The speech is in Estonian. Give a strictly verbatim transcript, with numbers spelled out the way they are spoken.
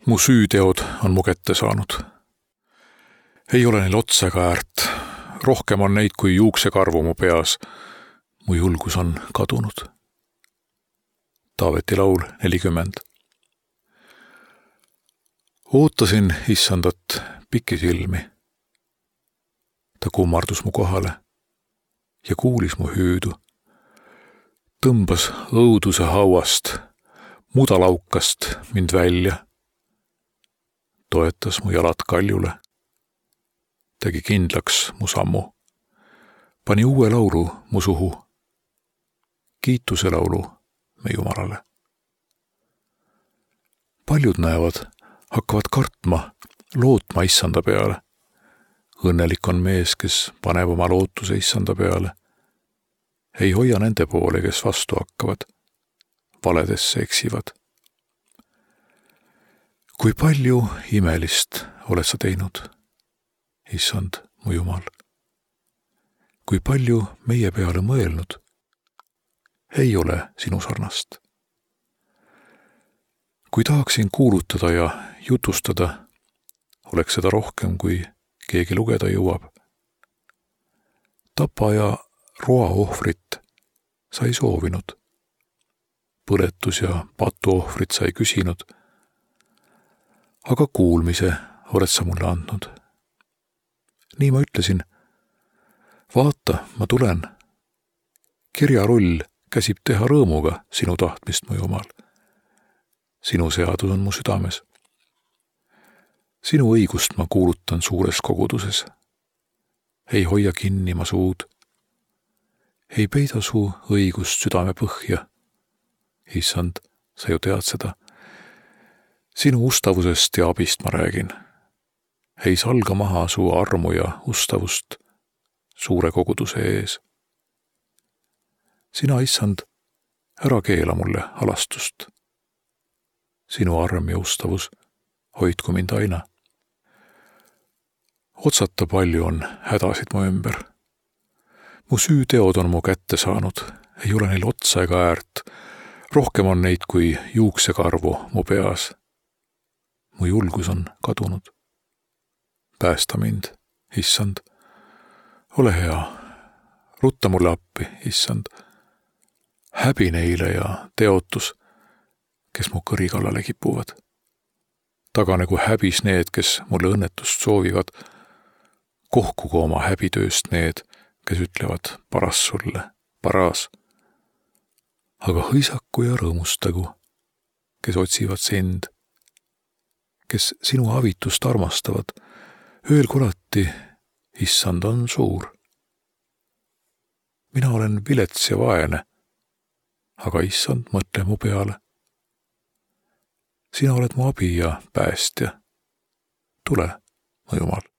Mu süüteod on mu kätte saanud. Ei ole neil otsa ega äärt. Rohkem on neid kui juuksekarvu mu peas. Mu julgus on kadunud. Taaveti laul nelikümmend. Ootasin issandat pikisilmi. Ta kummardus mu kohale ja kuulis mu hüüdu. Tõmbas õuduse hauast, mudalaukast mind välja. Toetas mu jalad kaljule. Tegi kindlaks mu sammu. Pani uue laulu mu suhu. Kiituse laulu me Jumalale. Paljud näevad, hakkavad kartma, lootma issanda peale. Õnnelik on mees, kes paneb oma lootuse issanda peale. Ei hoia nende poole, kes vastu hakkavad. Valedesse eksivad. Kui palju imelist oled sa teinud, issand, mu Jumal? Kui palju meie peale mõelnud? Ei ole sinu sarnast. Kui tahaksin kuulutada ja jutustada, oleks seda rohkem, kui keegi lugeda jõuab. Tapa ja roa ohvrit sa ei soovinud. Põletus ja patu ohvrit sa ei küsinud. Aga kuulmise oled sa mulle andnud. Nii ma ütlesin, vaata, ma tulen. Kirjarull käsib teha rõõmuga sinu tahtmist, mu Jumal. Sinu seadus on mu südames. Sinu õigust ma kuulutan suures koguduses. Ei hoia kinni ma suud. Ei peida su õigust südame põhja. Issand, sa ju tead seda. Sinu ustavusest ja abist ma räägin. Ei salga maha su armu ja ustavust suure koguduse ees. Sina, issand, ära keela mulle halastust. Sinu arm ja ustavus hoidku mind aina. Otsata palju on hädasid mu ümber. Mu süüteod on mu kätte saanud, ei ole neil otsa ega äärt. Rohkem on neid kui juuksekarvu mu peas. Mu julgus on kadunud. Päästa mind, issand. Ole hea. Rutta mulle appi, issand. Häbi neile ja teotus, kes mu kõri kallale kipuvad. Taganegu häbis need, kes mulle õnnetust soovivad. Kohkugu oma häbitööst need, kes ütlevad paras sulle, paras. Aga hõisaku ja rõõmustagu, kes otsivad sind, kes sinu avitust armastavad. Öelgu alati, issand on suur. Mina olen vilets ja vaene, aga issand, mõtle mu peale. Sina oled mu abi ja päästja. Tule, mu Jumal.